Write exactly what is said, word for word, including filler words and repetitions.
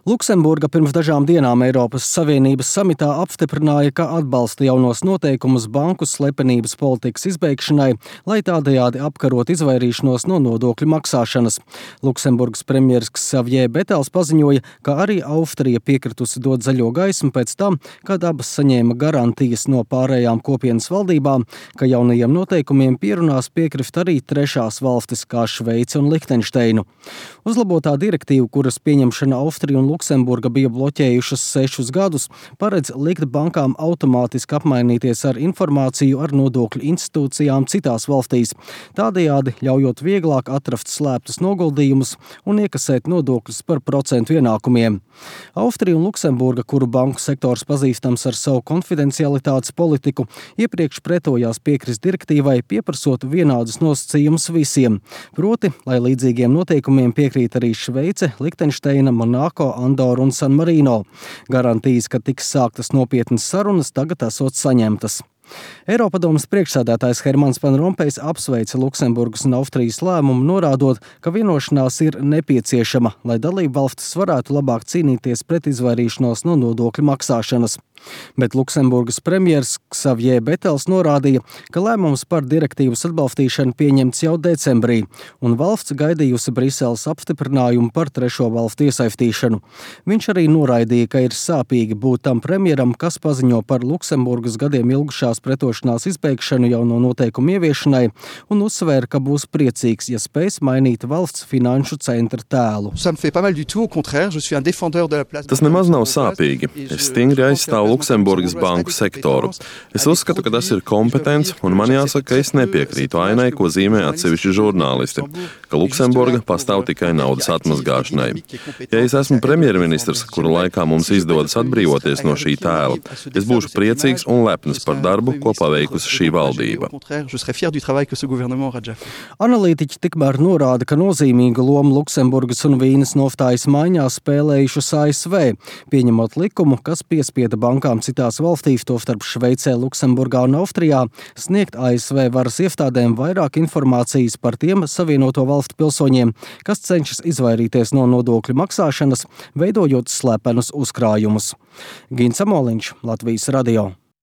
Luksemburga pirms dažām dienām Eiropas Savienības samitā apstiprināja, ka atbalsta jaunos noteikumus banku slepenības politikas izbeigšanai, lai tādējādi apkarot izvairīšanos no nodokļu maksāšanas. Luksemburgas premjeras Xavier Betels paziņoja, ka arī Austrija piekritusi dot zaļo gaismu pēc tam, kad abas saņēma garantijas no pārējām kopienas valdībām, ka jaunajiem noteikumiem pierunās piekrift arī trešās valstis kā Šveice un Lihtenšteinu. Uzlabotā direktīva, kuras pieņemšana Austrija un Luksemburga bija bloķējušas sešus gadus, paredz likt bankām automātiski apmainīties ar informāciju ar nodokļu institūcijām citās valstīs, tādējādi ļaujot vieglāk atrast slēptus noguldījumus un iekasēt nodokļus par procentu ienākumiem. Austrija un Luksemburga, kuru banku sektors pazīstams ar savu konfidencialitātes politiku, iepriekš pretojās piekrist direktīvai, pieprasot vienādus nosacījumus visiem, proti, lai līdzīgiem noteikumiem piekrīt arī Šveice, Lihtenšteina, Monako, Andora un San Marino. Garantijas, ka tiks sāktas nopietnas sarunas, tagad esot saņemtas. Eiropadomes priekšsēdētājs Hermans Van Rompējs apsveica Luksemburgas un Austrijas lēmumu, norādot, ka vienošanās ir nepieciešama, lai dalību valstis varētu labāk cīnīties pret izvairīšanos no nodokļu maksāšanas. Bet Luksemburgas premjers Xavier Betels norādīja, ka lēmums par direktīvas atbalstīšanu pieņemts jau decembrī, un valsts gaidījusi Briseles apstiprinājumu par trešo valstu iesaistīšanu. Viņš arī noraidīja, ka ir sāpīgi būt tam premjeram, kas paziņo par Luksemburgas gadiem ilgušās pretošanās izbeigšanu jauno noteikumu ieviešanai, un uzsvēra, ka būs priecīgs, ja spēs mainīt valsts finanšu centra tēlu. Tas nemaz nav sāpīgi. Es stingri aizstāvu Luksemburgas banku sektoru. Es uzskatu, ka tas ir kompetents, un man jāsaka, ka es nepiekrītu ainai, ko zīmē atsevišķi žurnālisti, ka Luksemburga pastāv tikai naudas atmazgāšanai. Ja es esmu premjerministrs, kura laikā mums izdodas atbrīvoties no šī tēla, es būšu priecīgs un lepns par darbu, ko paveikusi šī valdība. Analītiķi tikmēr norāda, ka nozīmīgu lomu Luksemburgas un Vīnes noftājas maiņā spēlējušas A S V, pieņemot likumu, kas piespieda bankām citās valstīs, tostarp Šveicē, Luksemburgā un Austrijā, sniegt A S V varas iestādēm vairāk informācijas par tiem Savienoto valstu pilsoņiem, kas cenšas izvairīties no nodokļu maksāšanas, veidojot slepenus uzkrājumus. Gins Amoliņš, Latvijas radio.